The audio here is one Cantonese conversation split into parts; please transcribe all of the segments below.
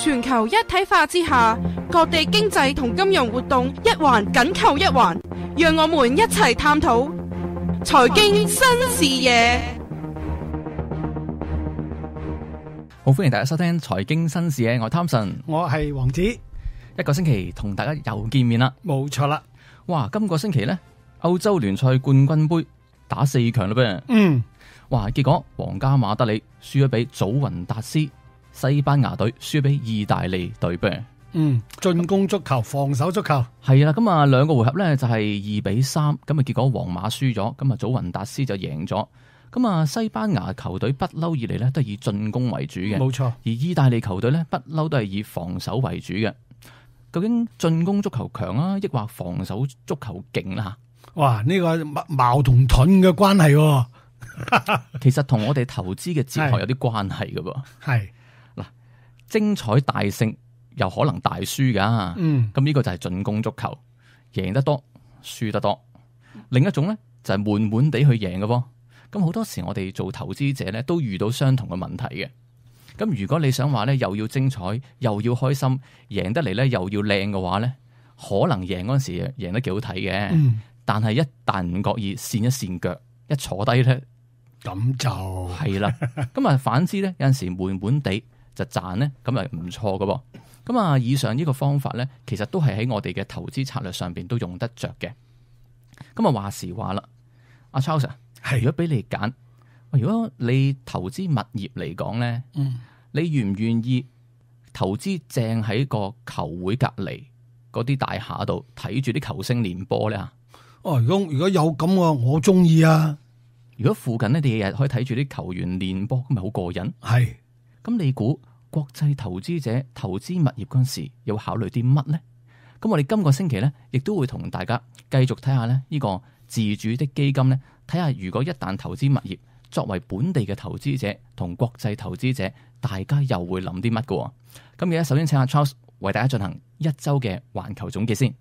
全球一體化之下，各地經濟同金融活動一環緊扣一環，讓我們一齊探討財經新視野。好，歡迎大家收聽財經新視野，我係 Thompson， 我係王子。一個星期同大家又見面啦，冇錯啦。哇，今個星期呢，歐洲聯賽冠軍盃打4強啦噃。哇，結果皇家馬德里輸咗俾祖雲達斯，西班牙隊輸俾意大利隊噃。進攻足球，防守足球係啦，咁啊兩個回合呢就係2-3，咁啊結果皇馬輸咗，咁啊祖雲達斯就贏咗。咁啊西班牙球隊不嬲以嚟呢都係以進攻為主嘅，冇錯。而意大利球隊呢不嬲都係以防守為主嘅。究竟進攻足球強啊，抑或防守足球勁啦？哇，呢個矛同盾嘅關係喎。其實同我哋投資嘅哲學有啲關係嘅噃。係嗱，精彩大勝又可能大輸噶。咁呢個就係進攻足球，贏得多，輸得多。另一種咧就係悶悶地去贏嘅噃。咁好多時我哋做投資者咧都遇到相同嘅問題嘅。咁如果你想話咧又要精彩又要開心，贏得嚟咧又要靚嘅話咧，可能贏嗰陣時贏得幾好睇嘅。但係一旦唔覺意跣一跣腳，一坐低咧，咁就係啦。咁啊反之咧，有陣時悶悶地就賺咧，咁係唔錯嘅噃。咁啊，以上呢個方法咧，其實都係喺我哋嘅投資策略上邊都用得着嘅。咁啊話時話啦，阿 Charles， 如果俾你揀，如果你投資物業嚟講咧，你願唔願意投資正喺個球會隔籬嗰啲大廈度睇住啲球星練波咧？如果有咁我中意啊！如果附近咧，你日日可以睇住啲球員練波，咁咪好過癮。係，咁你估國際投資者投資物業嗰陣時，要考慮啲乜咧？咁我哋今個星期咧，亦都會同大家繼續睇下咧呢個自主的基金咧，睇下如果一旦投資物業，作為本地嘅投資者同國際投資者，大家又會諗啲乜嘅？咁而家首先請阿 Charles 為大家進行一周嘅環球總結先。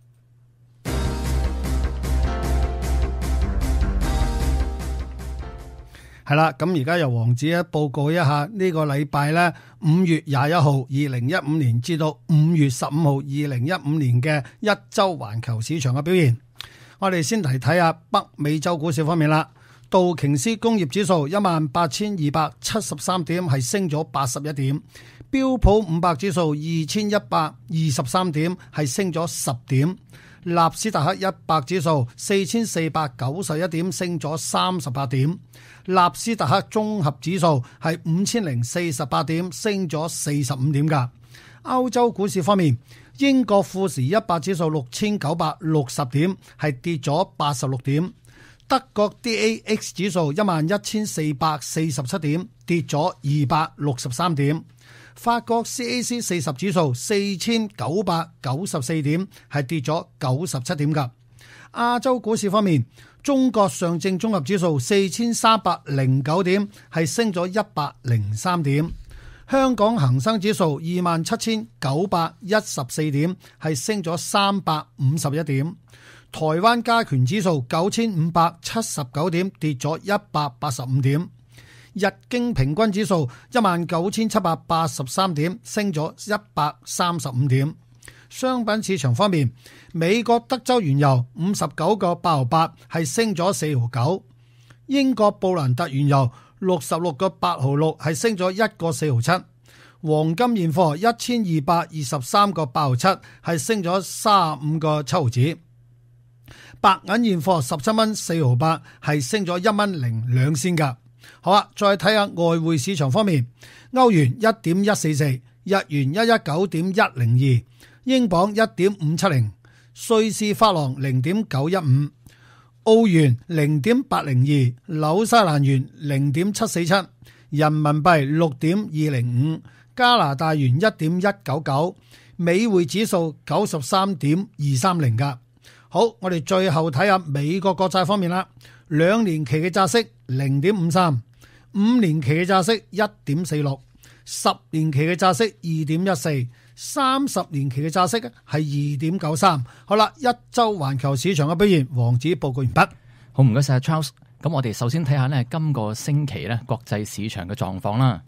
係啦，咁而家由王子報告一下呢個禮拜咧5月21號2015年至到5月15號2015年嘅一周環球市場嘅表現。我哋先嚟睇下北美洲股市方面啦。道瓊斯工業指數18273點，係升咗81點。標普500指數2123點，係升咗10點。納斯達克100指數4491點，升咗38點。納斯達克綜合指數係5048點，升咗45點噶。歐洲股市方面，英國富時100指數6960點，係跌咗86點。德國 DAX 指數11447點，跌咗263點。法國 CAC 40指數4994點，係跌咗97點噶。亞洲股市方面，中國上證綜合指數4309點，係升咗103點。香港恒生指數27914點，係升咗351點。台灣加權指數9579點，跌咗185點。日經平均指數19783點，升咗135點。商品市場方面，美國德州原油59個8毫8，係升咗4毫9。英國布蘭特原油66個8毫6，係升咗1個4毫7。黃金現貨1223個8毫7，係升咗35個7毫子。白銀現貨17蚊4毫8，係升咗1蚊02仙噶。好啦，再睇下外匯市場方面，歐元1.144，日元119.102，英鎊1.570，瑞士法郎0.915，澳元0.802，紐西蘭元0.747，人民幣6.205，加拿大元1.199，美匯指數93.230噶。好，我哋最後睇下美國國債方面啦。2年期嘅債息0.53， 5年期嘅債息1.46， 10年期嘅債息2.14， 30年期嘅債息係2.93。好啦，一周環球市場嘅表現，王子報告完畢。好，唔該晒 Charles。咁我哋首先睇下咧今個星期咧國際市場嘅狀況啦。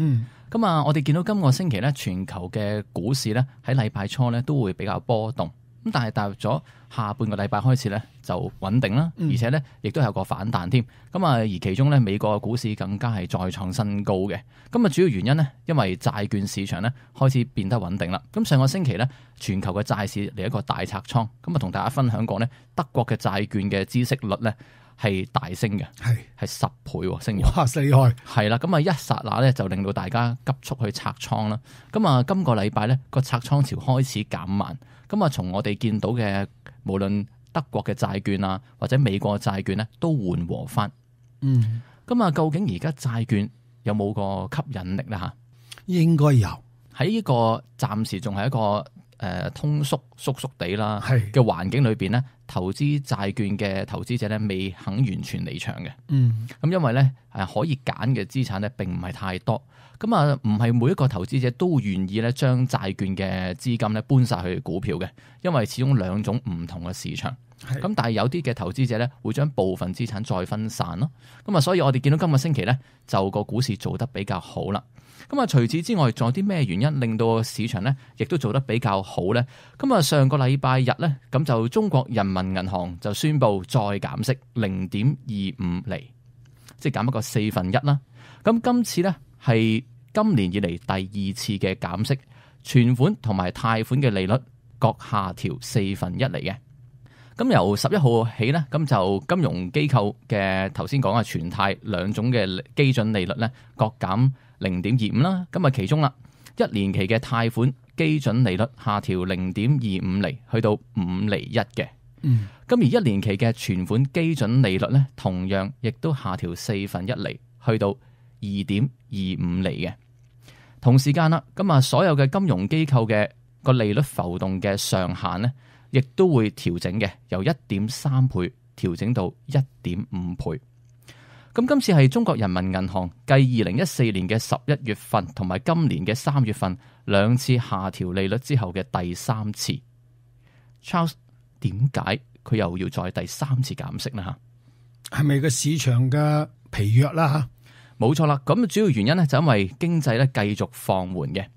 咁我哋見到今個星期咧全球嘅股市咧喺禮拜初咧都會比較波動，咁但係踏入咗下半個禮拜開始咧就穩定啦，而且咧亦都有個反彈添。咁而其中咧美國嘅股市更加係再創新高嘅。咁主要原因呢，因為債券市場咧開始變得穩定啦。咁上個星期咧全球嘅債市嚟一個大拆倉，咁同大家分享過咧德國嘅債券嘅孳息率咧係大升嘅，係10倍升咗，哇！厲害，係啦，咁一剎那咧就令到大家急速去拆倉啦。咁今個禮拜咧個拆倉潮開始減慢，咁從我哋見到嘅無論德國嘅債券啊或者美國嘅債券咧都緩和翻。咁究竟而家債券有冇個吸引力咧嚇？應該有，喺呢個暫時仲係一個通縮地啦嘅環境裏邊咧，投資債券嘅投資者咧未肯完全離場嘅。咁因為咧可以揀嘅資產咧並唔係太多，咁唔係每一個投資者都願意咧將債券嘅資金咧搬晒去股票嘅，因為始終兩種唔同嘅市場。咁但係有啲嘅投資者咧會將部分資產再分散咯。咁所以我哋見到今個星期咧就個股市做得比較好啦。咁除此之外，仲有啲咩原因令到市場咧亦都做得比較好咧？咁上個禮拜日咧，咁就中國人民銀行就宣布再減息0.25厘，即係減一個1/4啦。咁今次咧係今年以嚟第2次嘅減息，存款同埋貸款嘅利率各下調1/4厘嘅。咁由11號起咧，咁就金融機構嘅頭先講嘅存貸兩種嘅基準利率咧各減0.25啦。咁其中啦，1年期嘅貸款基準利率下調0.25厘，去到5.1厘嘅。咁而1年期嘅存款基準利率咧，同樣亦都下調1/4厘，去到2.25厘嘅。同時間啦，咁所有嘅金融機構嘅個利率浮動嘅上限咧，亦都會調整嘅，由1.3倍調整到1.5倍。咁今次係中國人民銀行繼2014年嘅11月份同埋今年嘅3月份兩次下調利率之後嘅第3次。Charles， 點解佢又要再第3次減息呢？嚇，係咪個市場嘅疲弱啦？嚇，冇錯啦。咁主要原因咧就因為經濟咧繼續放緩嘅。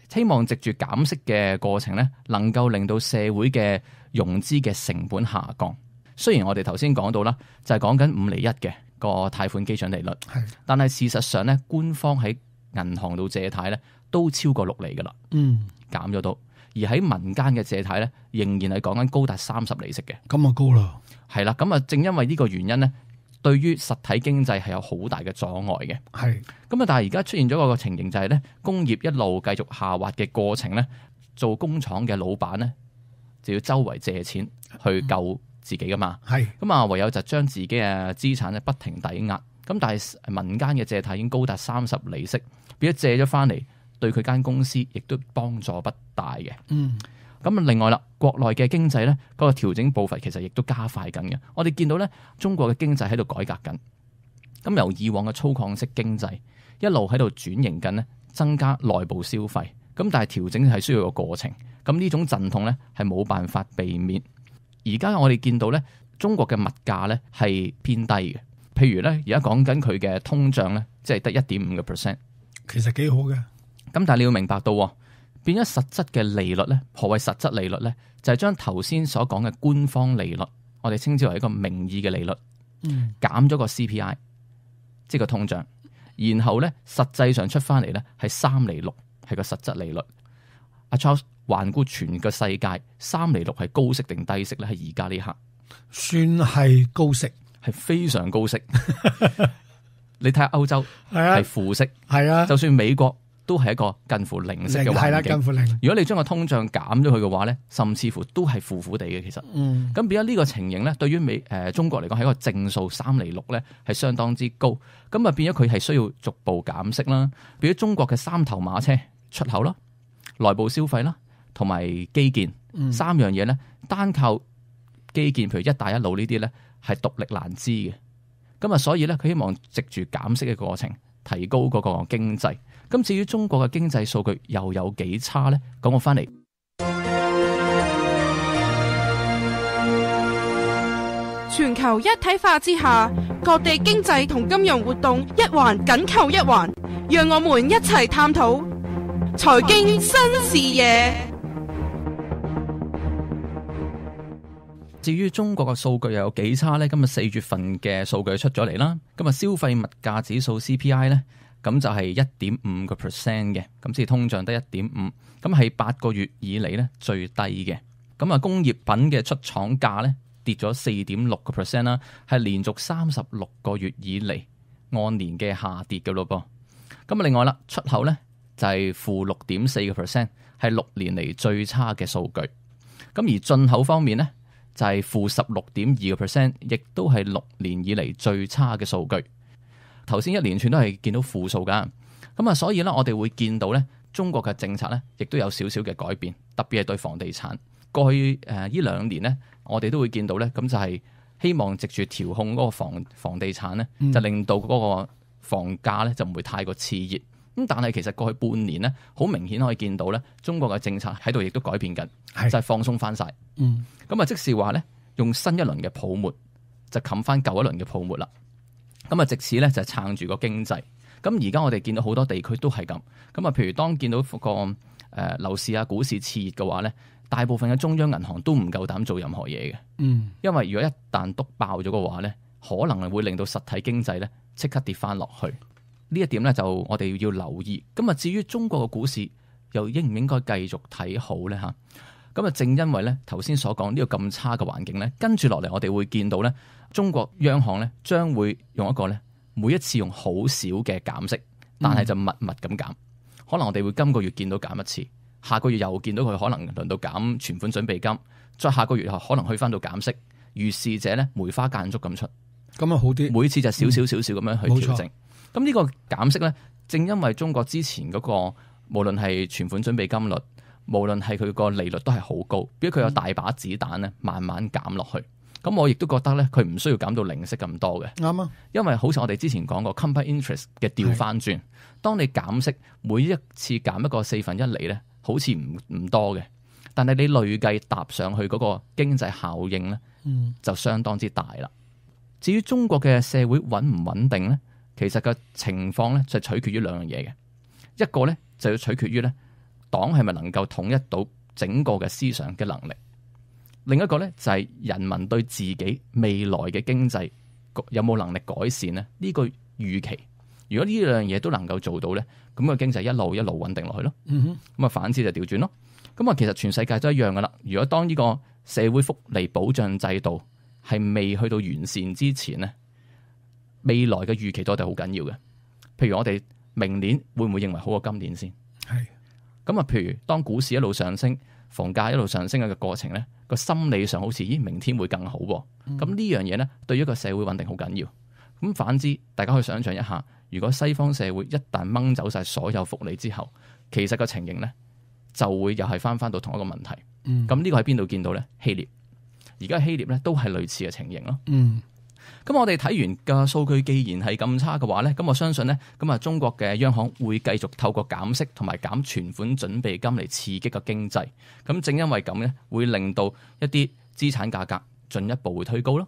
希望藉住減息嘅過程咧，能夠令到社會嘅融資嘅成本下降。雖然我哋頭先講到啦，就係講緊5.1厘嘅個貸款基準利率，但係事實上咧，官方喺銀行度借貸咧都超過6厘噶啦，減咗到。而喺民間嘅借貸咧，仍然係講緊高達30厘息嘅，咁高啦。係啦，咁正因為呢個原因咧，對於實體經濟係有好大嘅阻礙嘅。咁但係而家出現咗個情形就係咧，工業一路繼續下滑嘅過程咧，做工廠嘅老闆咧就要周圍借錢去救自己噶嘛。咁唯有就將自己嘅資產咧不停抵押。咁但係民間嘅借貸已經高達30厘息，變咗借咗翻嚟，對佢間公司亦都幫助不大嘅。咁另外啦，國內嘅經濟咧嗰個調整步伐其實亦都加快緊嘅。我哋見到咧，中國嘅經濟喺度改革緊。咁由以往嘅粗獷式經濟一路喺度轉型緊咧，增加內部消費。咁但係調整係需要個過程。咁呢種陣痛咧係冇辦法避免。而家我哋見到咧，中國嘅物價咧係偏低嘅。譬如咧，而家講緊佢嘅通脹咧，即係得1.5%，其實幾好嘅。咁但係你要明白到，變咗實質嘅利率咧，何謂實質利率咧？就係將頭先所講嘅官方利率，我哋稱之為一個名義嘅利率，減咗個 CPI， 即係個通脹，然後咧實際上出翻嚟咧係3.6厘，係個實質利率。阿 Charles， 環顧全個世界，3.6厘係高息定低息咧？喺而家呢刻，算係高息，係非常高息。你睇下歐洲係負息，就算美國都係一個近乎零息嘅環境。近乎零。如果你將個通脹減咗佢嘅話咧，甚至乎都係負地嘅。其實，咁變咗呢個情形咧，對於中國嚟講係一個正數3.6厘咧，係相當之高。咁啊變咗佢係需要逐步減息啦。變咗中國嘅3頭馬車，出口啦、內部消費啦，同埋基建3樣嘢咧，單靠基建，譬如一帶一路呢啲咧，係獨力難支嘅。咁啊，所以咧，佢希望藉住減息嘅過程，提高嗰個經濟。咁至於中國嘅經濟數據又有幾差咧？講我翻嚟，全球一體化之下，各地經濟同金融活動一環緊扣一環，讓我們一齊探討財經新視野。至於中國嘅數據又有幾差呢？今日4月份嘅數據出咗嚟啦。今日消費物價指數 CPI 呢，咁就係 1.5% 嘅，咁即係通脹得 1.5%，咁係8個月以嚟呢最低嘅。咁啊，工業品嘅出廠價呢跌咗 4.6% 啦，係連續36個月以嚟按年嘅下跌嘅咯噃。咁啊，另外啦，出口呢就係負 6.4%，係6年嚟最差嘅數據。咁而進口方面呢，就係負 16.2%， 亦都係6年以嚟最差嘅數據。頭先一連串都係見到負數噶，咁啊，所以咧我哋會見到咧，中國嘅政策咧，亦都有少少嘅改變，特別係對房地產。過去呢2年咧，我哋都會見到咧，咁就係希望藉住調控嗰個房地產咧，就令到嗰個房價咧就唔會太過熾熱。咁但係其實過去半年咧，好明顯可以見到咧，中國嘅政策喺度亦都改變緊，就係放鬆翻晒。咁啊，即是話咧，用新一輪嘅泡沫就冚翻舊一輪嘅泡沫啦。咁啊，藉此咧就撐住個經濟。咁而家我哋見到好多地區都係咁。咁啊，譬如當見到個樓市啊、股市熾熱嘅話咧，大部分嘅中央銀行都唔夠膽做任何嘢嘅。因為如果一旦篤爆咗嘅話咧，可能係會令到實體經濟咧即刻跌翻落去。呢一點咧就我哋要留意。咁啊，至於中國嘅股市又應唔應該繼續睇好咧嚇？咁啊，正因為咧頭先所講呢個咁差嘅環境咧，跟住落嚟我哋會見到咧，中國央行咧將會用一個咧每一次用好少嘅減息，但係就密密咁減。可能我哋會今個月見到減一次，下個月又見到佢可能輪到減存款準備金，再下個月可能去翻到減息。如是者咧梅花間竹咁出，咁啊好啲。每次就少少咁樣去調整。咁呢個減息咧，正因為中國之前嗰個無論係存款準備金率，無論係佢個利率都係好高，因為佢有大把子彈咧，慢慢減落去。咁我亦都覺得咧，佢唔需要減到零息咁多嘅。啱啊，因為好似我哋之前講過 compound interest 嘅調翻轉，當你減息每一次減一個1/4咧，好似唔多嘅，但係你累計搭上去嗰個經濟效應咧，就相當之大啦。至於中國嘅社會穩唔穩定咧，其實個情況咧就取決於兩樣嘢嘅，一個咧就要取決於咧，黨係咪能夠統一到整個嘅思想嘅能力？另一個咧就係人民對自己未來嘅經濟有冇能力改善咧？呢個預期，如果呢兩樣嘢都能夠做到咧，咁個經濟一路一路穩定落去咯。咁啊反之就調轉咯。咁啊其實全世界都一樣噶啦。如果當呢個社會福利保障制度係未去到完善之前咧，未來嘅預期都係好緊要嘅。譬如我哋明年會唔會認為好過今年先？係。咁啊，譬如當股市一路上升，房價一路上升嘅過程咧，個心理上好似明天會更好喎。咁呢樣嘢咧，對於一個社會穩定好緊要。咁反之，大家可以想象一下，如果西方社會一旦掹走晒所有福利之後，其實個情形咧就會又係翻到同一個問題。咁呢個喺邊度見到咧？希臘，而家希臘咧都係類似嘅情形咯。咁我哋睇完嘅數據，既然係咁差嘅話咧，咁我相信咧，咁啊中國嘅央行會繼續透過減息同埋減存款準備金嚟刺激個經濟。咁正因為咁咧，會令到一啲資產價格進一步會推高咯。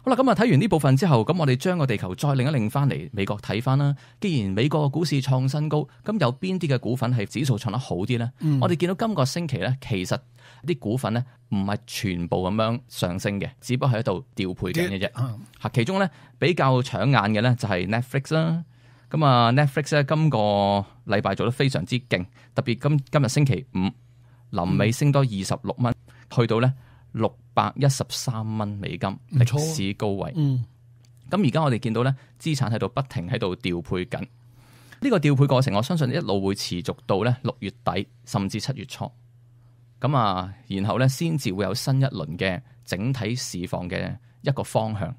好啦，咁啊睇完呢部分之後，咁我哋將個地球再擰一擰翻嚟美國睇翻啦。既然美國嘅股市創新高，咁有邊啲嘅股份係指數創得好啲咧？我哋見到今個星期咧，其實啲股份咧唔係全部咁樣上升嘅，只不過係喺度調配緊嘅啫。嚇，其中咧比較搶眼嘅咧就係 Netflix 啦。咁啊 Netflix 咧今個禮拜做得非常之勁，特別今日星期五臨尾升多26蚊，去到咧613蚊美金，歷史高位。咁而家我哋見到咧資產喺度不停喺度調配緊，呢個調配過程我相信一路會持續到咧6月底甚至7月初。咁啊，然後咧先至會有新一輪嘅整體市況嘅一個方向。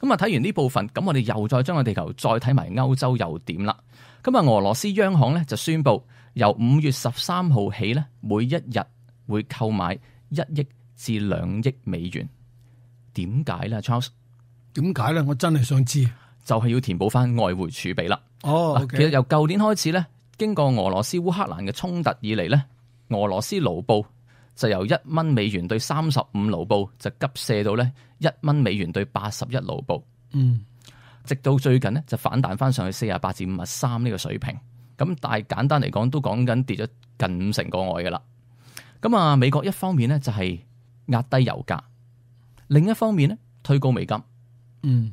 咁啊，睇完呢部分，咁我哋又再將個地球再睇埋歐洲又點啦。咁啊，俄羅斯央行咧就宣布由5月13號起咧，每一日會購買1億至2億美元。點解咧 ，Charles？ 點解咧？我真係想知。就係要填補翻外匯儲備啦。其實由舊年開始咧，經過俄羅斯烏克蘭嘅衝突以嚟咧，俄羅斯盧布就由$1對35盧布就急瀉到咧$1對81盧布。直到最近咧就反彈翻上去48至53呢個水平。咁但係簡單嚟講，都講緊跌咗近50%個外噶啦。咁啊，美國一方面咧就係壓低油價，另一方面咧推高美金。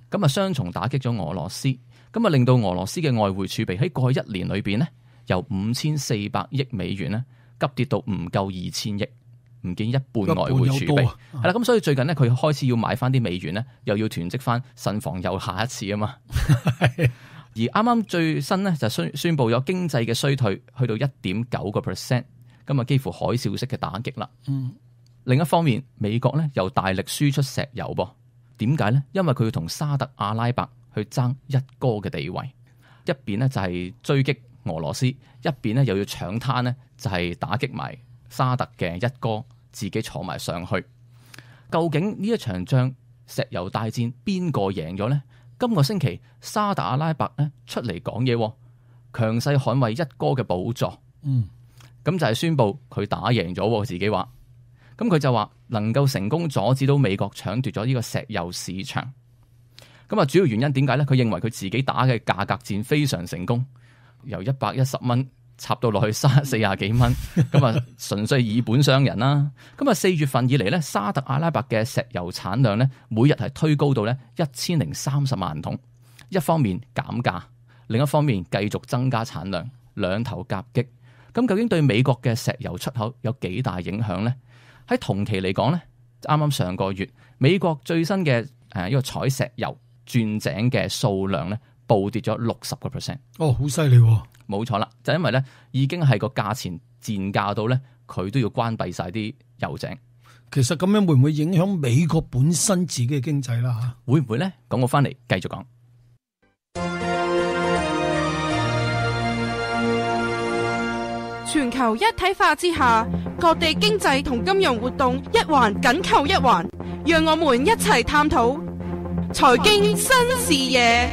咁啊，雙重打擊咗俄羅斯，咁啊令到俄羅斯嘅外匯儲備喺過去1年裏邊咧，由$5400億咧急跌到唔夠2000億，唔見一半外匯儲備。係啦，咁所以最近咧佢開始要買翻啲美元咧，又要囤積翻，慎防又下一次啊嘛。而啱啱最新咧就宣布咗經濟嘅衰退去到1.9%，咁啊幾乎海嘯式嘅打擊啦。另一方面，美國咧又大力輸出石油噃。點解咧？因為佢要同沙特阿拉伯去爭一哥嘅地位，一邊咧就係追擊俄羅斯，一邊咧又要搶灘咧，就係打擊埋沙特嘅一哥，自己坐埋上去。究竟呢一場仗石油大戰邊個贏咗呢？今個星期沙特阿拉伯咧出嚟講嘢，強勢捍衛一哥嘅寶座。咁就係宣布佢打贏咗，自己話。咁佢就話能夠成功阻止到美國搶奪咗呢個石油市場。咁啊，主要原因點解咧？佢認為佢自己打嘅價格戰非常成功，由$110插到落去40幾蚊，咁啊純粹以本傷人啦。咁啊4月份以嚟咧，沙特阿拉伯嘅石油產量咧，每日係推高到咧1030萬桶。一方面減價，另一方面繼續增加產量，兩頭夾擊。咁究竟對美國嘅石油出口有幾大影響咧？喺同期嚟講咧，啱啱上個月美國最新嘅呢個採石油鑽井嘅數量咧，暴跌咗60%。哦，好犀利喎！冇錯啦，就因為咧已經係個價錢賤價到咧，佢都要關閉晒啲油井。其實咁樣會唔會影響美國本身自己嘅經濟啦？嚇，會唔會咧？講我翻嚟繼續講。全球一體化之下，各地經濟同金融活動一環緊扣一環，讓我們一齊探討財經新視野。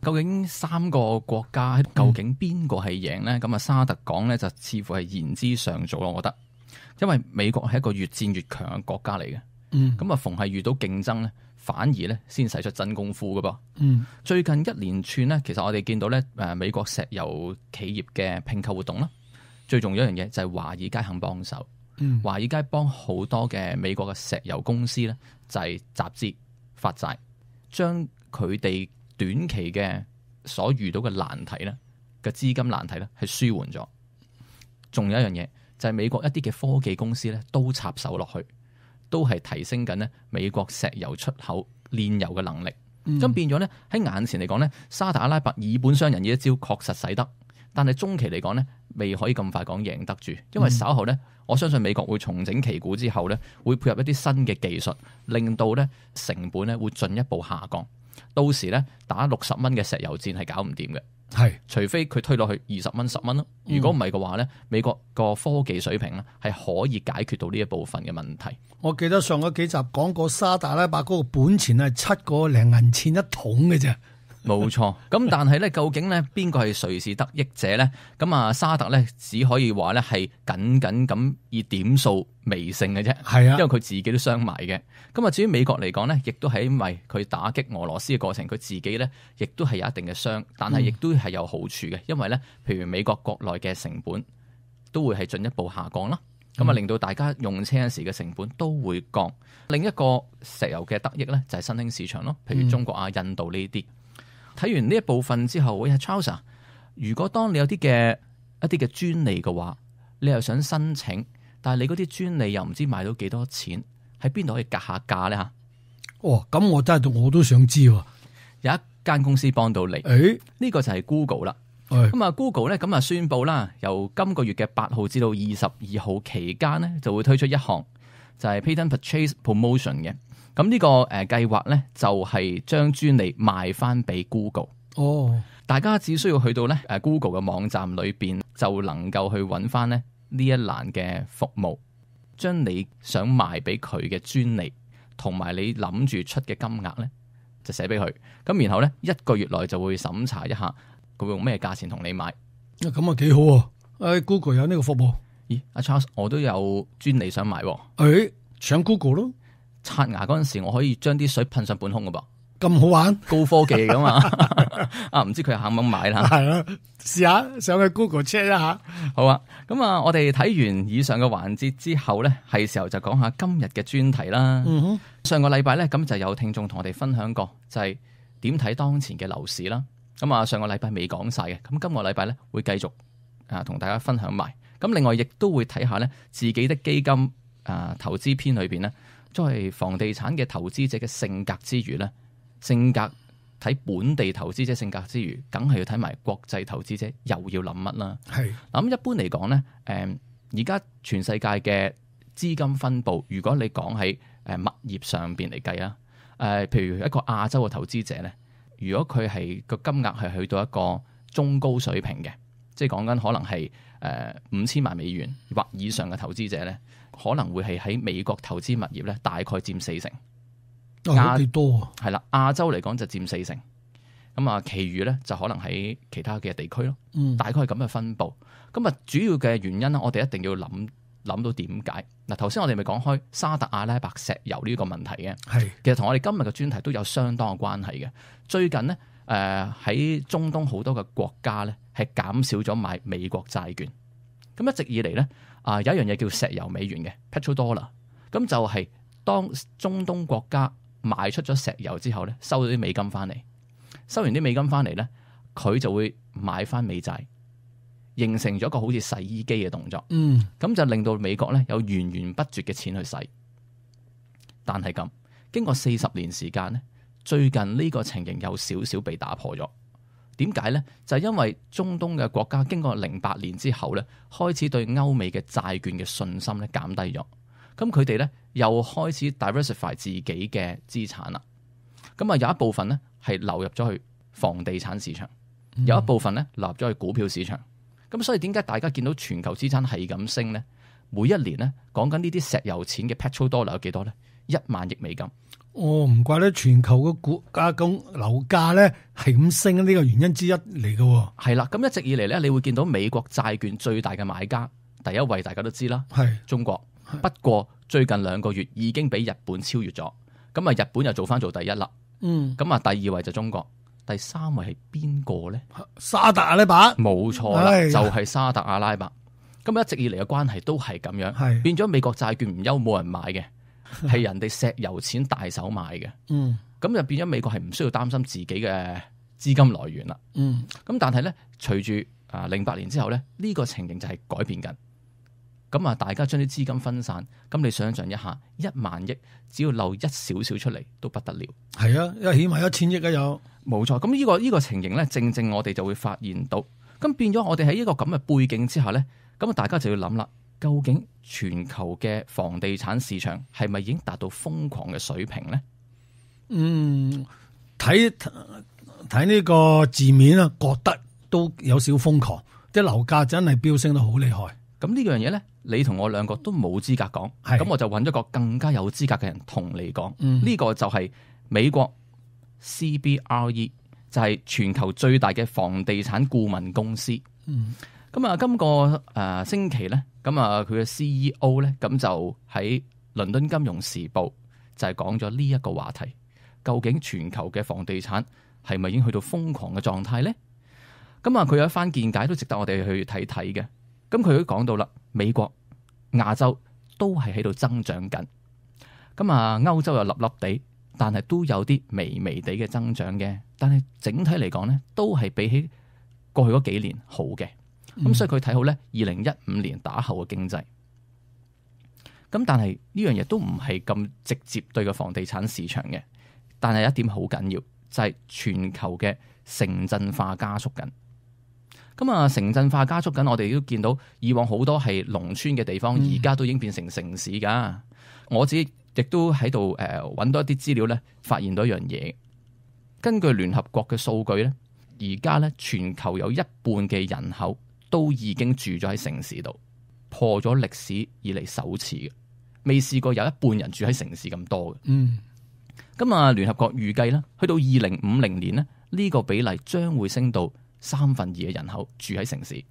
究竟3個國家究竟邊個係贏呢？咁啊，沙特講咧就似乎係言之尚早咯，我覺得，因為美國係一個越戰越強嘅國家嚟嘅。咁啊，逢係遇到競爭咧，反而咧先使出真功夫噶噃。最近一連串咧，其實我哋見到咧，美國石油企業嘅併購活動啦，最重要一樣嘢就係華爾街肯幫手。華爾街幫好多嘅美國嘅石油公司咧，就係集資發債，將佢哋短期嘅所遇到嘅難題咧嘅資金難題咧係舒緩咗。仲有一樣嘢就係美國一啲嘅科技公司咧都插手落去。都係提升緊咧美國石油出口煉油嘅能力，咁變咗咧喺眼前嚟講咧，沙特阿拉伯以本傷人呢一招確實使得，但係中期嚟講咧未可以咁快講贏得住，因為稍後咧我相信美國會重整旗鼓之後咧，會配合一啲新嘅技術，令到咧成本咧會進一步下降，到時咧打$60嘅石油戰係搞唔掂嘅。係，除非佢推落去$20、10咯。如果唔係嘅話咧，美國個科技水平咧係可以解決到呢一部分嘅問題。我記得上嗰幾集講過沙特阿拉伯嗰個本錢係7個零銀錢一桶嘅啫。冇錯，咁但係咧，究竟咧邊個係誰是得益者咧？咁啊，沙特咧只可以話咧係僅僅咁以點數微勝嘅啫。係啊，因為佢自己都傷埋嘅。咁啊，至於美國嚟講咧，亦都係因為佢打擊俄羅斯嘅過程，佢自己咧亦都係有一定嘅傷，但係亦都係有好處嘅，因為咧，譬如美國國內嘅成本都會係進一步下降啦。咁啊，令到大家用車嗰時嘅成本都會降。另一個石油嘅得益咧就係新興市場咯，譬如中國啊、印度呢啲。睇完呢一部分之後，喂，Charles，如果當你有啲嘅一啲嘅專利嘅話，你又想申請，但係你嗰啲專利又唔知賣到幾多錢，喺邊度可以格下價咧嚇？哦，咁我真係我都想知喎。有一間公司幫到你，呢個就係 Google 啦。咁啊 ，Google 咧咁啊宣布啦，由今個月嘅8號至到22號期間咧，就會推出一項就係 Patent Purchase Promotion 嘅。咁呢個計劃咧，就係將專利賣翻俾 Google。哦，大家只需要去到咧Google 嘅網站裏邊，就能夠去揾翻咧呢一欄嘅服務，將你想賣俾佢嘅專利同埋你諗住出嘅金額咧，就寫俾佢。咁然後咧1個月內就會審查一下，佢會用咩價錢同你買。咁啊幾好喎！Google 有呢個服務。咦，阿 Charles，我都有專利想買。上 Google 咯。刷牙嗰陣時，我可以將啲水噴上半空噶噃。咁好玩，高科技噶嘛？唔知佢肯唔肯買啦？係啦，試下上去 Google check 一下。好啊，咁啊，我哋睇完以上嘅環節之後咧，係時候就講下今日嘅專題啦。上個禮拜咧，咁就有聽眾同我哋分享過，就係點睇當前嘅樓市啦。咁啊，上個禮拜未講晒嘅，咁今個禮拜咧會繼續同大家分享埋。咁另外亦都會睇下咧自己的基金投資篇裏邊咧，作為房地產嘅投資者嘅性格之餘咧。性格睇本地投資者性格之餘，梗係要睇埋國際投資者又要諗乜啦。係咁一般嚟講咧，而家全世界嘅資金分佈，如果你講喺物業上邊嚟計啊，譬如一個亞洲嘅投資者咧，如果佢係個金額係去到一個中高水平嘅，即係講緊可能係5000萬美元或以上嘅投資者咧，可能會係喺美國投資物業咧，大概佔40%。幾多啊？係啦，亞洲嚟講就佔40%，咁啊，其餘咧就可能喺其他嘅地區咯。大概係咁嘅分佈。咁啊，主要嘅原因咧，我哋一定要諗到點解。嗱，頭先我哋咪講開沙特阿拉伯石油呢個問題嘅，係其實同我哋今日嘅專題都有相當嘅關係嘅。最近呢，喺中東好多嘅國家咧係減少咗買美國債券。咁一直以嚟咧有一樣嘢叫石油美元嘅 petrodollar， 咁就係當中東國家賣出咗石油之後咧，收咗啲美金翻嚟，收完啲美金翻嚟咧，佢就會買翻美債，形成咗一個好似洗衣機嘅動作。咁就令到美國咧有源源不絕嘅錢去使。但係咁經過40年時間咧，最近呢個情形有少少被打破咗。點解咧？就係因為中東嘅國家經過08年之後咧，開始對歐美嘅債券嘅信心咧減低咗。咁佢哋咧又開始 diversify 自己嘅資產啦。咁啊有一部分咧係流入咗去房地產市場，有一部分咧流入咗去股票市場。咁所以點解大家見到全球資產係咁升咧？每一年咧講緊呢啲石油錢嘅 petrodollar 有幾多咧？1萬億美金。唔怪得全球嘅股價咁樓價咧係咁升，呢個原因之一嚟嘅。係啦，咁一直以嚟咧，你會見到美國債券最大嘅買家，第一位大家都知啦，係中國。不過最近2個月已經俾日本超越咗，咁啊日本又做第一啦。咁啊第二位就中國，第3位係邊個咧？沙特阿拉伯。冇錯啦，就係沙特阿拉伯。咁一直以嚟嘅關係都係咁樣，變咗美國債券唔憂冇人買嘅，係人哋石油錢大手買嘅。咁就變咗美國係唔需要擔心自己嘅資金來源啦。咁但係咧，隨住08年之後咧，呢個情形就係改變緊。咁啊，大家將啲資金分散，咁你想象一下，1萬億只要漏一少少出嚟都不得了。係啊，因為起碼1000億啊有。冇錯，咁呢個情形咧，正正我哋就會發現到，咁變咗我哋喺呢個咁嘅背景之下咧，咁啊大家就要諗啦，究竟全球嘅房地產市場係咪已經達到瘋狂嘅水平咧？睇呢個字面啊，覺得都有少瘋狂，啲樓價真係飆升得好厲害。咁呢樣嘢咧，你同我兩個都冇資格講，咁我就揾咗個更加有資格嘅人同你講。呢個就係美國 CBRE， 就係全球最大嘅房地產顧問公司。咁啊，今個星期咧，咁啊佢嘅 CEO 咧，咁就喺倫敦金融時報就係講咗呢一個話題，究竟全球嘅房地產係咪已經去到瘋狂嘅狀態咧？咁啊，佢有一番見解都值得我哋去睇睇嘅。咁佢都講到啦，美國、亞洲都係喺度增長緊，咁啊歐洲又粒粒地，但係都有啲微微地嘅增長嘅，但係整體嚟講咧，都係比起過去嗰幾年好嘅，咁所以佢睇好咧2015年打後嘅經濟。咁但係呢樣嘢都唔係咁直接對個房地產市場嘅，但係一點好緊要就係全球嘅城鎮化加速緊。咁啊，城鎮化加速緊，我哋都見到以往好多係農村嘅地方，而家都已經變成城市噶。我自己亦都喺度揾到一啲資料咧，發現到一樣嘢。根據聯合國嘅數據咧，而家咧全球有1半嘅人口都已經住咗喺城市度，破咗歷史以嚟首次嘅，未試過有1半人住喺城市咁多嘅。咁啊，聯合國預計啦，去到2050年咧，呢個比例將會升到2/3嘅人口住喺城市。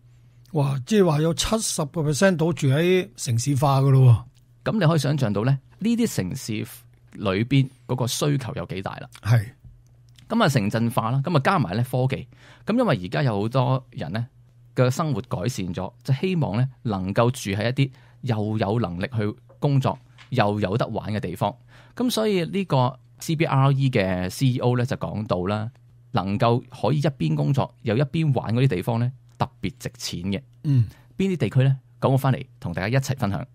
哇！即係話有70% 都住喺城市化噶咯。咁你可以想象到咧，呢啲城市裏邊嗰個需求有幾大啦。係。咁啊城鎮化啦，咁啊加埋咧科技。咁因為而家有好多人咧嘅生活改善咗，就希望咧能夠住喺一啲又有能力去工作又有得玩嘅地方。咁所以呢個 CBRE 嘅 CEO 咧就講到啦，能夠可以一邊工作又一邊玩嗰啲地方咧，特別值錢嘅。邊啲地區咧？講我翻嚟同大家一齊分享。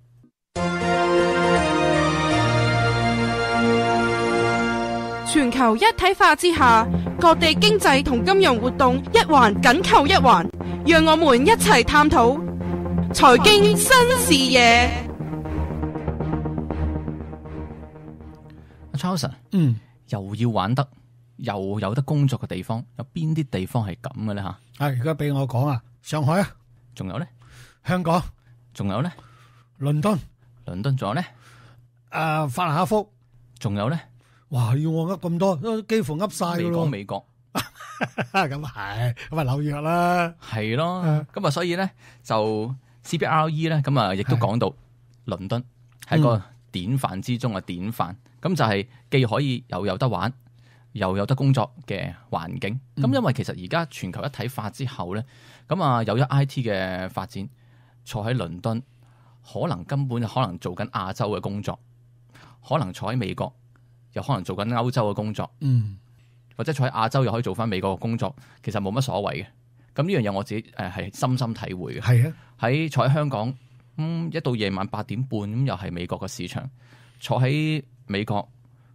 全球一體化之下，各地經濟同金融活動一環緊扣一環，讓我們一齊探討財經新視野。阿 Charles， 又要玩得又有得工作嘅地方，有邊啲地方係咁嘅咧？吓，而家俾我講啊，上海啊，仲有咧，香港，仲有咧，倫敦，仲有咧，法蘭克福，仲有咧。哇！要我噏咁多，都幾乎噏晒噶咯。未講美國，咁係，咁啊紐約啦，係咯。咁啊，所以咧就 CBRE 咧，咁啊亦都講到倫敦係一個典範之中嘅典範。咁就係既可以又有得玩，又有得工作嘅環境。咁因為其實而家全球一體化之後咧，咁啊有咗 IT 嘅發展，坐喺倫敦可能根本可能做緊亞洲嘅工作，可能坐喺美國。又可能做緊歐洲嘅工作，或者坐喺亞洲又可以做翻美國嘅工作，其實冇乜所謂嘅。咁呢樣嘢我自己係深深體會嘅。係啊，喺坐喺香港，一到夜晚8點半咁又係美國嘅市場；坐喺美國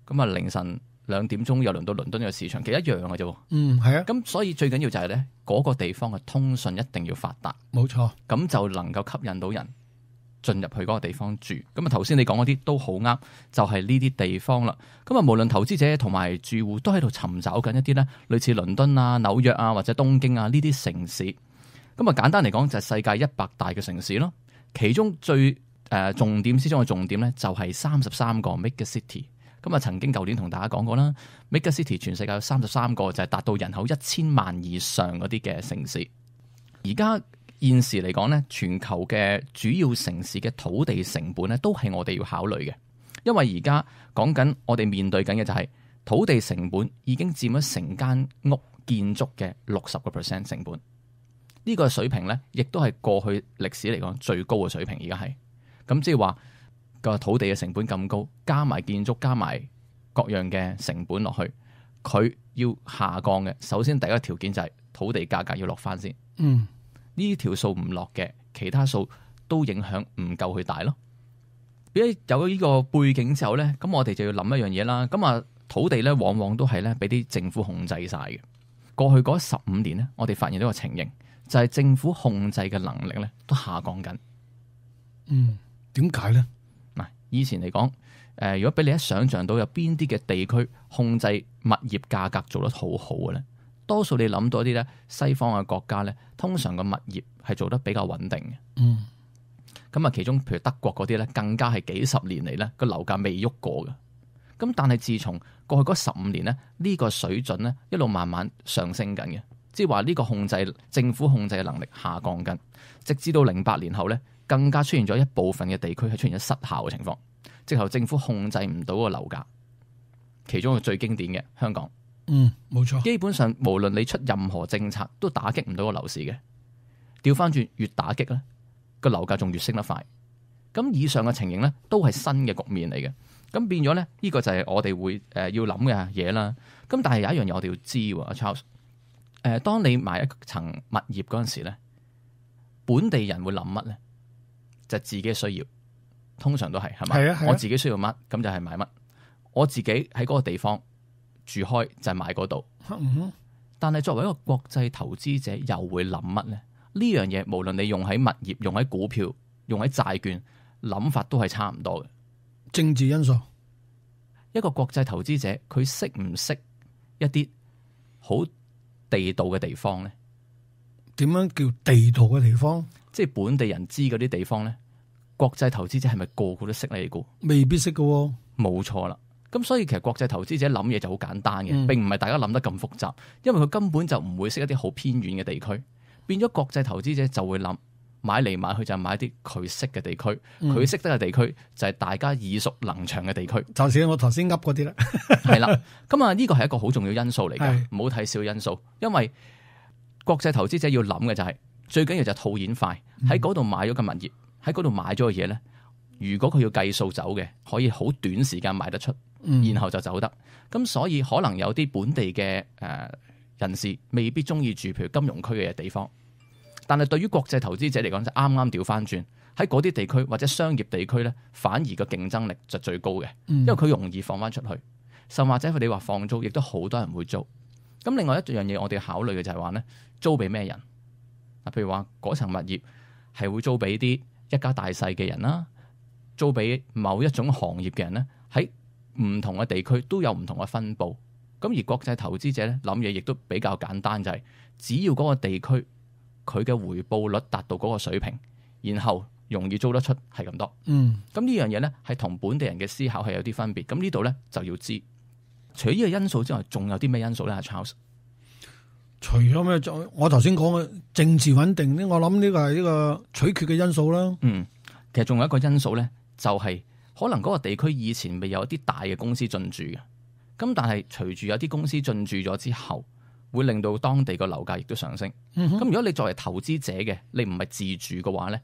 咁啊凌晨2點鐘又輪到倫敦嘅市場，其實一樣嘅啫。係啊。咁所以最緊要就係咧，嗰個地方嘅通訊一定要發達，冇錯，咁就能夠吸引到人進入去嗰個地方住。咁啊頭先你講嗰啲都好啱，就係呢啲地方啦。咁啊無論投資者同埋住戶都喺度尋找緊一啲咧類似倫敦啊、紐約啊或者東京啊呢啲城市。咁啊簡單嚟講就係世界100大嘅城市咯。其中最重點之中嘅重點咧就係33個 mega city。咁啊曾經舊年同大家講過啦，mega city 全世界有33個，就係達到人口1000萬以上嗰啲嘅城市。而家現時嚟講咧，全球嘅主要城市嘅土地成本咧，都係我哋要考慮嘅。因為而家講緊我哋面對緊嘅就係土地成本已經佔咗成間屋建築嘅60% 成本。呢個水平咧，亦都係過去歷史嚟講最高嘅水平。而家係咁，即係話個土地嘅成本咁高，加埋建築，加埋各樣嘅成本落去，佢要下降嘅。首先第一個條件就係土地價格要落翻先。呢條數唔落嘅，其他數都影響唔夠佢大咯。有咗呢個背景之後咧，咁我哋就要諗一樣嘢啦。咁啊，土地咧往往都係咧俾啲政府控制晒嘅。過去嗰15年咧，我哋發現到個情形，就係政府控制嘅能力咧都下降緊。點解咧？嗱，以前嚟講，如果俾你一想象到有邊啲嘅地區控制物業價格做得好好嘅咧？多數你諗到一啲咧，西方嘅國家咧，通常個物業係做得比較穩定嘅。咁啊，其中譬如德國嗰啲咧，更加係幾十年嚟咧個樓價未喐過嘅。咁但係自從過去嗰15年咧，呢個水準咧一路慢慢上升緊嘅，即係話呢個政府控制嘅能力下降緊，直至到08年後咧，更加出現咗一部分嘅地區係出現咗失效嘅情況，即係政府控制唔到個樓價。其中一個最經典嘅香港。冇錯。基本上無論你出任何政策，都打擊唔到個樓市嘅。調翻轉，越打擊咧，個樓價仲越升得快。咁以上嘅情形咧，都係新嘅局面嚟嘅。咁變咗咧，呢個就係我哋會要諗嘅嘢啦。咁但係有一樣嘢我哋要知喎，阿 Charles。當你買一層物業嗰陣時咧，本地人會諗乜咧？就係自己需要，通常都係咪？係啊。我自己需要乜，咁就係買乜。我自己喺嗰個地方住開就係買嗰度，但係作為一個國際投資者，又會諗乜咧？呢樣嘢無論你用喺物業、用喺股票、用喺債券，諗法都係差唔多嘅。政治因素，一個國際投資者佢識唔識一啲好地道嘅地方咧？點樣叫地道嘅地方？即係本地人知嗰啲地方咧，國際投資者係咪個個都識呢？你估未必識㗎喎。冇錯啦。咁所以其實國際投資者諗嘢就好簡單嘅，並唔係大家諗得咁複雜，因為佢根本就唔會識一啲好偏遠嘅地區，變咗國際投資者就會諗買嚟買去就係買啲佢識嘅地區，佢識得嘅地區就係大家耳熟能詳嘅地區，就似我頭先噏嗰啲啦。係啦，咁啊呢個係一個好重要因素嚟㗎，唔好睇小因素，因為國際投資者要諗嘅就係最緊要就係套現快，喺嗰度買咗個物業，喺嗰度買咗嘅嘢咧，如果佢要計數走嘅，可以好短時間賣得出，然後就走得。咁所以可能有啲本地嘅人士未必中意住譬如金融區嘅地方，但係對於國際投資者嚟講就啱啱調翻轉，喺嗰啲地區或者商業地區咧，反而個競爭力就最高嘅，因為佢容易放翻出去，甚或者佢哋話放租，亦都好多人會租。咁另外一樣嘢我哋考慮嘅就係話咧，租俾咩人？嗱，譬如話嗰層物業係會租俾啲一家大細嘅人啦，租俾某一種行業嘅人咧，喺唔同嘅地區都有唔同嘅分佈。咁而國際投資者咧諗嘢亦都比較簡單，就係只要嗰個地區佢嘅回報率達到嗰個水平，然後容易租得出係咁多。咁呢樣嘢咧係同本地人嘅思考係有啲分別。咁呢度咧就要知，除咗呢個因素之外，仲有啲咩因素咧？阿 Charles，除咗咩？我頭先講嘅政治穩定咧，我諗呢個係呢個取決嘅因素啦。其實仲有一個因素咧，就係可能嗰個地區以前未有一啲大嘅公司進駐嘅，咁但係隨住有啲公司進駐咗之後，會令到當地個樓價亦都上升。咁如果你作為投資者嘅，你唔係自住嘅話咧，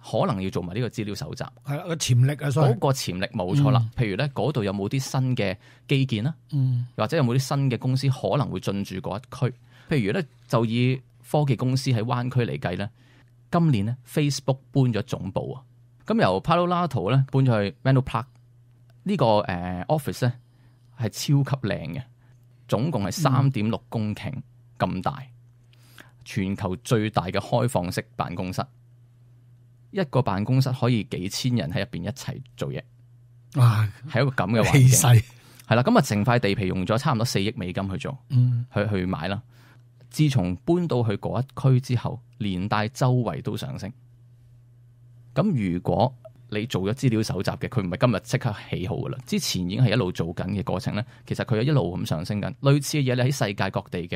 可能要做埋呢個資料搜集。係啦，個潛力啊，嗰個潛力冇錯啦。譬如咧，嗰度有冇啲新嘅基建啦，或者有冇啲新嘅公司可能會進駐嗰一區。譬如咧，就以科技公司喺灣區嚟計咧，今年咧 Facebook 搬咗總部啊，咁由 Palo Alto 咧搬咗去 Menlo Park 呢個office 咧係超級靚嘅，總共係3.6公頃咁大，全球最大嘅開放式辦公室，一個辦公室可以幾千人喺入邊一齊做嘢，哇！係一個咁嘅環境，係啦，咁啊成塊地皮用咗差唔多4億美金去做，去買啦。自從搬到去嗰一區之後，連帶周圍都上升。咁如果你做咗資料搜集嘅，佢唔係今日即刻起好噶啦，之前已經係一路做緊嘅過程咧。其實佢係一路咁上升緊，類似嘅嘢你喺世界各地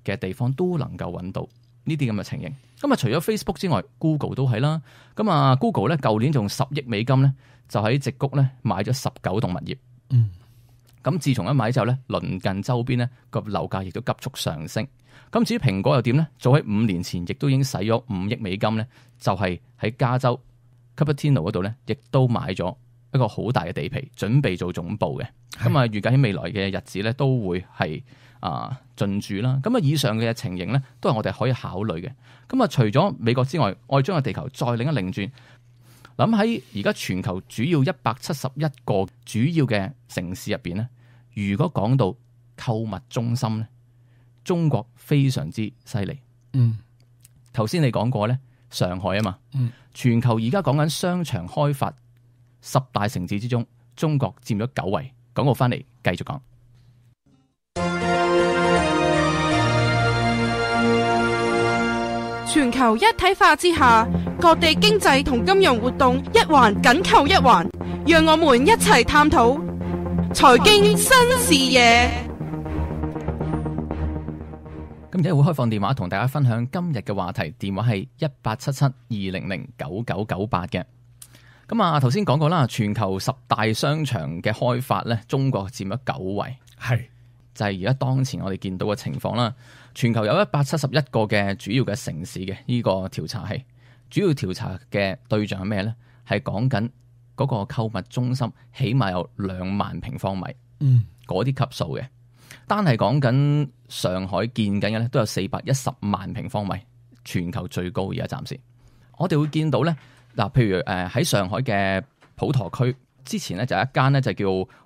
嘅地方都能夠揾到呢啲咁嘅情形。咁啊，除咗 Facebook 之外 ，Google 都係啦。咁啊 ，Google 咧舊年仲10億美金咧，就喺矽谷咧買咗19棟物業。咁自從一買之後咧，鄰近周邊咧個樓價亦都急速上升。咁至於蘋果又點咧？早喺5年前亦都已經使咗5億美金咧，就係喺加州 Cupertino 嗰度咧，亦都買咗一個好大嘅地皮，準備做總部嘅。咁啊，預計喺未來嘅日子咧，都會係進駐啦。咁啊，以上嘅情形咧，都係我哋可以考慮嘅。咁啊，除咗美國之外，我哋將個地球再另一擰轉，諗喺而家全球主要171個主要嘅城市入邊咧，如果講到購物中心咧，中國非常之犀利。頭先你講過咧，上海啊嘛，全球而家講緊商場開發10大城市之中，中國佔咗9位。廣告翻嚟繼續講。全球一體化之下，各地經濟同金融活動一環緊扣一環，讓我們一齊探討財經新視野。咁而家會開放電話同大家分享今日嘅話題，電話係1877-200-9998嘅。咁啊，頭先講過啦，全球10大商場嘅開發咧，中國佔咗9位，係就係而家當前我哋見到嘅情況啦。全球有171個嘅主要嘅城市嘅呢個調查係主要調查嘅對象係咩咧？係講緊嗰個購物中心起碼有2萬平方米，嗰啲級數嘅。單係講緊上海建緊嘅咧，都有410萬平方米，全球最高而家暫時。我哋會見到咧，嗱，譬如喺上海嘅普陀區，之前咧就有一間咧就叫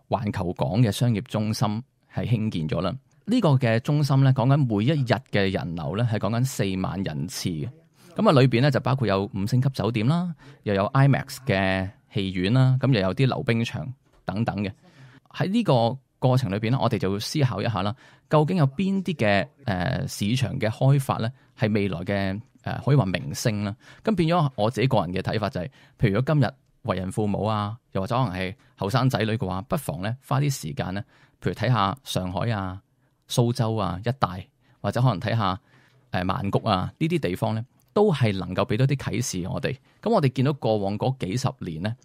環球港嘅商業中心係興建咗啦。呢個嘅中心咧講緊每一日嘅人流咧係講緊4萬人次嘅。咁啊裏邊咧就包括有5星級酒店啦，又有 IMAX 嘅戲院啦，咁又有啲溜冰場等等嘅。喺呢個過程裏邊咧，我哋就會思考一下啦，究竟有邊啲嘅市場嘅開發咧係未來嘅可以話明星啦。咁變咗我自己個人嘅睇法就係，譬如如果今日為人父母啊，又或者可能係後生仔女嘅話，不妨咧花啲時間咧，譬如睇下上海啊、蘇州啊一帶，或者可能睇下曼谷啊呢啲地方咧，都係能夠俾到啲啟示我哋。咁我哋見到過往嗰幾十年咧，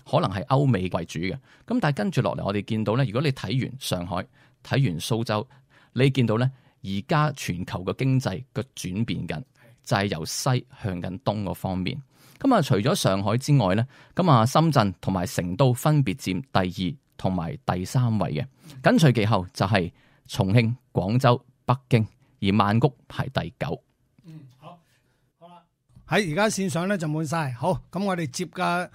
可能係歐美為主嘅，咁但係跟住落嚟，我哋見到咧，如果你睇完上海、睇完蘇州，你見到咧，而家全球嘅經濟嘅轉變緊，就係由西向緊東嗰方面。咁啊，除咗上海之外咧，咁啊，深圳同埋成都分別佔第2同埋第3位嘅，緊隨其後就係重慶、廣州、北京，而曼谷排第9。好啦，喺而家線上咧就滿晒。好，咁我哋接個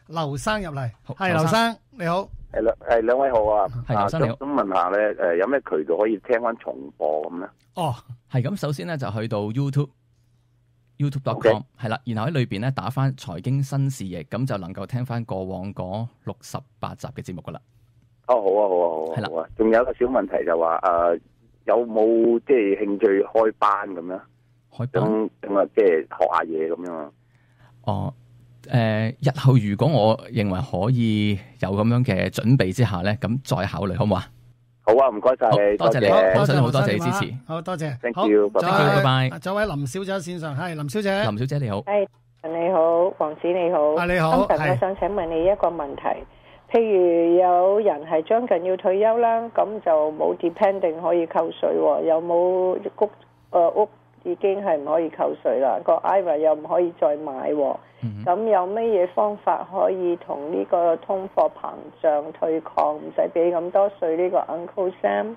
劉生入嚟。係劉生你好。係兩位好啊。係劉生你好。咁問下咧，有咩渠道可以聽翻重播咁咧？哦，係咁，首先咧就去到 YouTube.com 係啦，然後喺裏邊咧打翻財經新視野，咁就能夠聽翻過往嗰68集嘅節目噶啦。哦，好啊，好啊，好啊，係啦。仲有一個小問題就話有冇即係興趣開班咁樣？開班咁啊，即係學下嘢咁樣啊？哦，日後如果我認為可以有咁樣嘅準備之下咧，咁再考慮好唔好啊？好啊，唔該晒，多謝你，好想好多謝你支持，好多謝 ，thank you，拜拜。仲有位林小姐喺線上，係林小姐，林小姐你好，係你好，黃子你好，你好，我想請問你一個問題，譬如有人係將近要退休啦，咁就冇 depending 可以扣稅，有冇屋已經係唔可以扣稅啦，個 IRA 又唔可以再買，咁有乜嘢方法可以同呢個通貨膨脹對抗，唔使俾咁多稅呢個 Uncle Sam？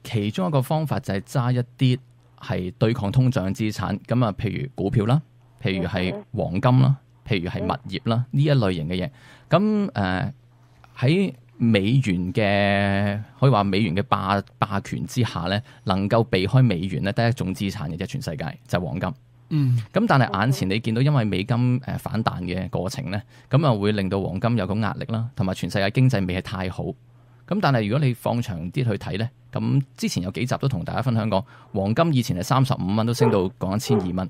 其中一個方法就係揸一啲係對抗通脹嘅資產，咁啊，譬如股票啦，譬如係黃金啦，譬如係物業啦，呢一類型嘅嘢。咁喺美元嘅可以話美元嘅霸權之下咧，能夠避開美元咧，得一種資產嘅啫，全世界就係黃金。咁但係眼前你見到因為美金反彈嘅過程咧，咁啊會令到黃金有個壓力啦，同埋全世界經濟未係太好。咁但係如果你放長啲去睇咧，咁之前有幾集都同大家分享過，黃金以前係35蚊都升到講1200蚊。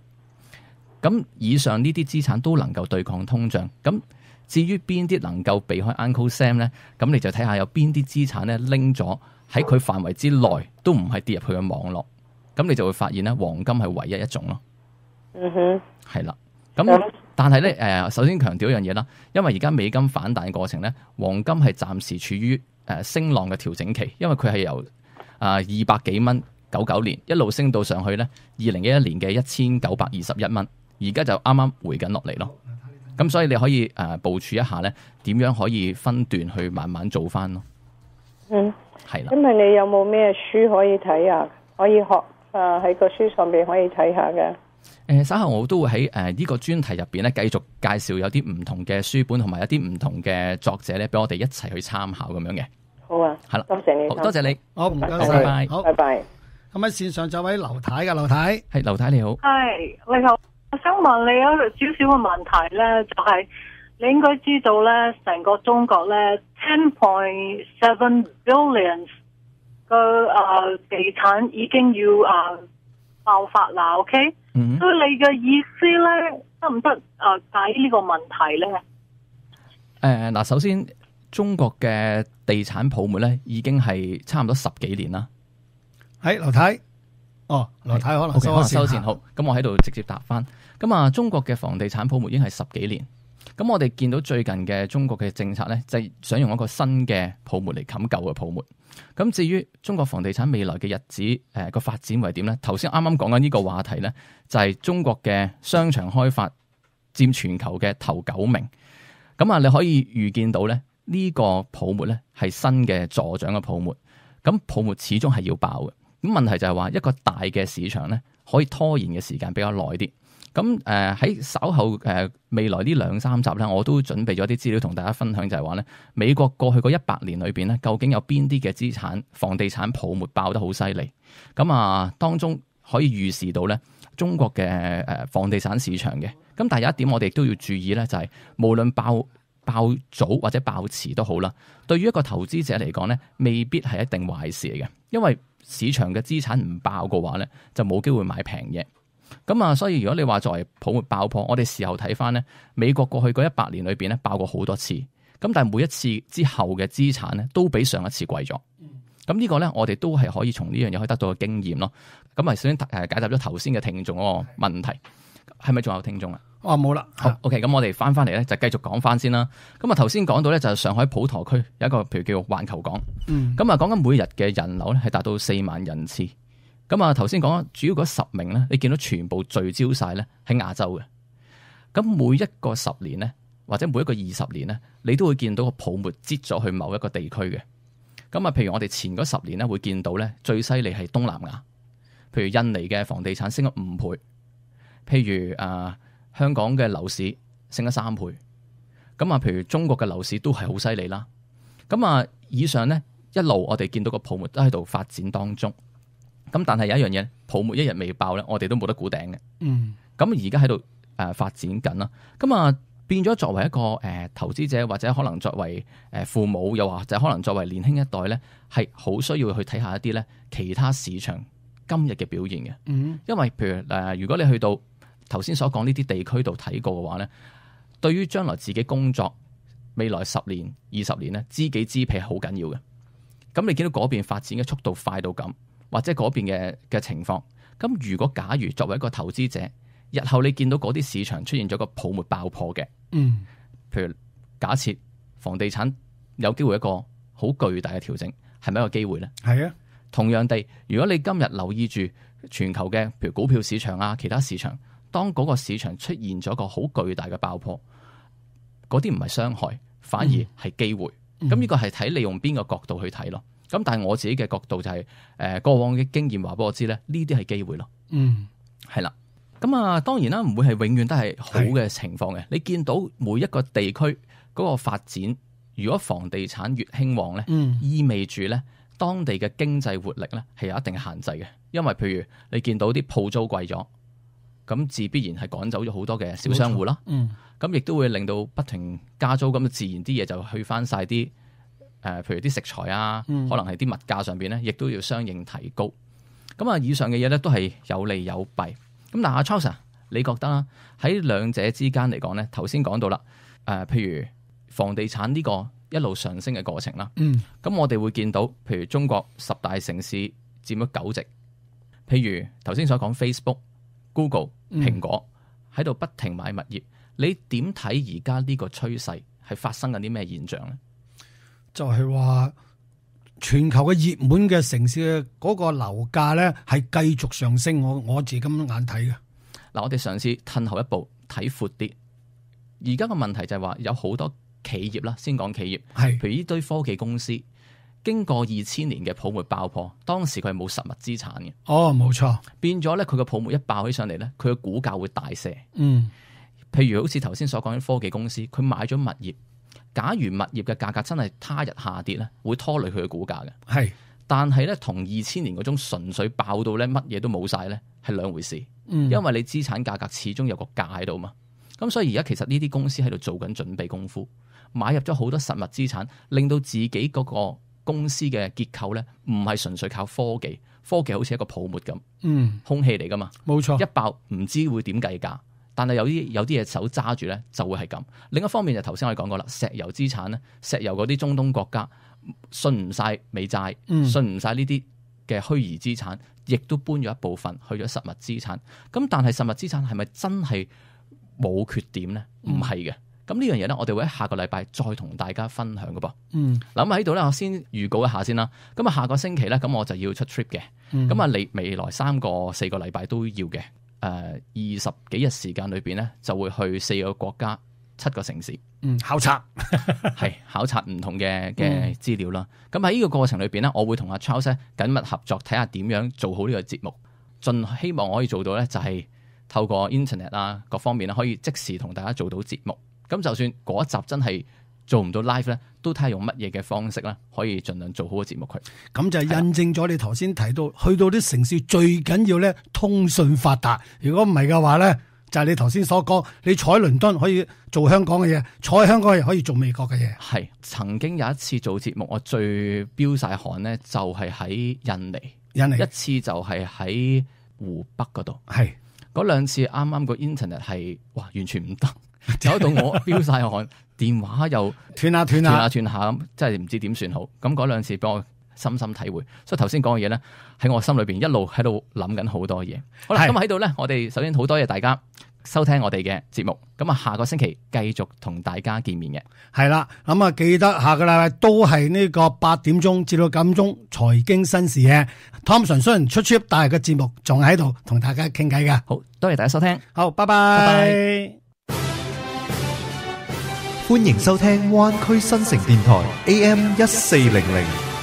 咁以上呢啲資產都能夠對抗通脹。咁至於邊啲能夠避開 Uncle Sam 咧，咁你就睇下有邊啲資產咧拎咗喺佢範圍之內，都唔係跌入去嘅網絡。咁你就會發現咧，黃金係唯一一種咯。係啦。咁但係咧首先強調一樣嘢啦，因為而家美金反彈嘅過程咧，黃金係暫時處於升浪嘅調整期，因為佢係由200幾蚊99年一路升到上去咧2011年嘅1921蚊，而家就啱啱回緊落嚟咯。咁所以你可以部署一下咧，點樣可以分段去慢慢做翻咯。係啦。因為你有冇咩書可以睇啊？可以學喺個書上邊可以睇下嘅。稍後我都會喺呢個專題入邊咧，繼續介紹有啲唔同嘅書本，同埋有啲唔同嘅作者咧，俾我哋一齊去參考咁樣嘅。好啊，係啦，多謝你，多謝你，好唔該晒，拜拜，好，拜拜。咁喺線上就位劉太嘅，劉太係劉太你好，係你好，我想問你有少少嘅問題咧，就係你應該知道咧，成個中國咧10.7 billion 嘅地產已經要爆發啦 ，OK？所以你嘅意思咧，得唔得解呢個問題咧？嗱，首先中國嘅地產泡沫咧，已經係差唔多10幾年啦。係劉太，劉太可能收線好，咁我喺度直接答翻。咁中國嘅房地產泡沫已經係10幾年。咁我哋見到最近嘅中國嘅政策咧，就係想用一個新嘅泡沫嚟冚舊嘅泡沫。咁至於中國房地產未來嘅日子個發展為點咧？頭先啱啱講緊呢個話題咧，就係中國嘅商場開發佔全球嘅頭9名。咁你可以預見到咧，呢個泡沫咧係新嘅助長嘅泡沫。咁泡沫始終係要爆嘅。咁問題就係話一個大嘅市場咧，可以拖延嘅時間比較耐啲。咁喺稍後未來呢2-3集咧，我都準備咗啲資料同大家分享，就係話咧，美國過去嗰100年裏邊咧，究竟有邊啲嘅資產房地產泡沫爆得好犀利？咁當中可以預示到咧，中國嘅房地產市場嘅。咁但係有一點我哋都要注意咧，就係無論爆早或者爆遲都好啦，對於一個投資者嚟講咧，未必係一定壞事嚟嘅，因為市場嘅資產唔爆嘅話咧，就冇機會買平嘢。咁啊，所以如果你話作為泡沫爆破，我哋事後睇翻咧，美國過去嗰100年裏邊咧爆過好多次，咁但係每一次之後嘅資產咧都比上一次貴咗。咁呢個咧，我哋都係可以從呢樣嘢可以得到個經驗咯。咁啊，首先解答咗頭先嘅聽眾嗰個問題，係咪仲有聽眾啊？冇啦。好 OK， 咁我哋翻嚟咧就繼續講翻先啦。咁啊，頭先講到咧就係上海普陀區有一個譬如叫環球港，咁啊講緊每日嘅人流咧係達到4萬人次。咁啊頭先講主要嗰10名咧，你見到全部聚焦晒咧喺亞洲嘅。咁每一個10年咧，或者每一個20年咧，你都會見到個泡沫擠咗去某一個地區嘅。咁啊，譬如我哋前嗰10年咧，會見到咧最犀利係東南亞，譬如印尼嘅房地產升咗5倍，譬如香港嘅樓市升咗3倍。咁啊，譬如中國嘅樓市都係好犀利啦。咁啊，以上咧一路我哋見到個泡沫都喺度發展當中。咁但係有一樣嘢，泡沫一日未爆咧，我哋都冇得估頂嘅。咁而家喺度發展緊啦。咁啊變咗作為一個投資者，或者可能作為父母，又或者可能作為年輕一代咧，係好需要去睇下一啲咧其他市場今日嘅表現嘅。因為譬如如果你去到頭先所講呢啲地區度睇過嘅話咧，對於將來自己工作未來10年、20年咧，知己知彼係好緊要嘅。咁你見到嗰邊發展嘅速度快到咁，或者嗰邊嘅情況，咁如果假如作為一個投資者，日後你見到嗰啲市場出現咗個泡沫爆破嘅，譬如假設房地產有機會一個好巨大嘅調整，係咪一個機會咧？係啊。同樣地，如果你今日留意住全球嘅譬如股票市場啊，其他市場，當嗰個市場出現咗個好巨大嘅爆破，嗰啲唔係傷害，反而係機會。咁呢個係睇你用邊個角度去睇咯。咁但係我自己嘅角度就係過往嘅經驗話俾我知咧，呢啲係機會咯。係啦。咁啊，當然啦，唔會係永遠都係好嘅情況嘅。你見到每一個地區嗰個發展，如果房地產越興旺咧，意味住咧當地嘅經濟活力咧係有一定嘅限制嘅。因為譬如你見到啲鋪租貴咗，咁自必然係趕走咗好多嘅小商戶啦。咁亦都會令到不停加租，咁自然啲嘢就去翻晒啲譬如啲食材啊，可能係啲物價上邊咧，亦都要相應提高。咁啊，以上嘅嘢咧都係有利有弊。咁嗱，阿 Charles， 你覺得啦？喺兩者之間嚟講咧，頭先講到啦，譬如房地產呢個一路上升嘅過程啦，咁我哋會見到，譬如中國10大城市佔咗9席，譬如頭先所講 Facebook、Google、蘋果喺度不停買物業，你點睇而家呢個趨勢係發生緊啲咩現象咧？就係話全球嘅熱門嘅城市嘅嗰個樓價咧係繼續上升，我自己咁眼睇嘅。嗱，我哋嘗試褪後一步睇闊啲。而家個問題就係話有好多企業啦，先講企業，譬如呢堆科技公司，經過2000年嘅泡沫爆破，當時佢係冇實物資產嘅。冇錯。變咗咧，佢個泡沫一爆起上嚟咧，佢嘅股價會大瀉。譬如好似頭先所講啲科技公司，佢買咗物業。假如物業嘅價格真係他日下跌咧，會拖累佢嘅股價嘅。但係咧同2000年嗰種純粹爆到咧乜嘢都冇晒咧，係兩回事。因為你資產價格始終有個價喺度嘛。咁所以而家其實呢啲公司喺度做緊準備功夫，買入咗好多實物資產，令到自己嗰個公司嘅結構咧唔係純粹靠科技，科技好似一個泡沫咁，空氣嚟噶嘛。冇錯，一爆唔知會點計價。但係有啲嘢手揸住咧，就會係咁。另一方面就頭先我哋講過啦，石油資產咧，石油嗰啲中東國家信唔晒美債，信唔晒呢啲嘅虛擬資產，亦都搬咗一部分去咗實物資產。咁但係實物資產係咪真係冇缺點咧？唔係嘅。咁呢樣嘢咧，我哋會喺下個禮拜再同大家分享嘅噃。咁喺度咧，我先預告一下先啦。咁啊，下個星期咧，咁我就要出 trip 嘅。咁啊，你未來4個禮拜都要嘅。20幾日時間裏邊咧，就會去4個國家、7個城市，考察係考察唔同嘅資料啦。咁喺呢個過程裏邊咧，我會同阿 Charles 緊密合作，睇下點樣做好呢個節目。盡希望我可以做到咧，就係透過 Internet 啊各方面咧，可以即時同大家做到節目。咁就算嗰一集真係做唔到 live 咧，都睇下用乜嘢嘅方式咧，可以盡量做好個節目佢。咁就印證咗你頭先提到，去到啲城市最緊要咧通訊發達。如果唔係嘅話咧，就係你頭先所講，你坐喺倫敦可以做香港嘅嘢，坐喺香港又可以做美國嘅嘢。係曾經有一次做節目，我最飆晒汗咧，就係喺印尼，一次就係喺湖北嗰度。係嗰兩次啱啱個 internet 係哇完全唔得，搞到我飆晒汗，電話又斷下咁，真係唔知點算好。咁嗰兩次俾我深深體會，所以頭先講嘅嘢咧喺我心裏邊一路喺度諗緊好多嘢。好啦，咁喺度咧，我哋首先好多謝大家收聽我哋嘅節目，咁啊下個星期繼續同大家見面嘅。係啦，咁啊記得下個禮拜都係呢個8點鐘至到9點鐘財經新視野。Thompson 雖然出 trip，但係個節目仲喺度同大家傾偈㗎。好多謝大家收聽，好，拜拜。歡迎收聽灣區新城電台 AM1400。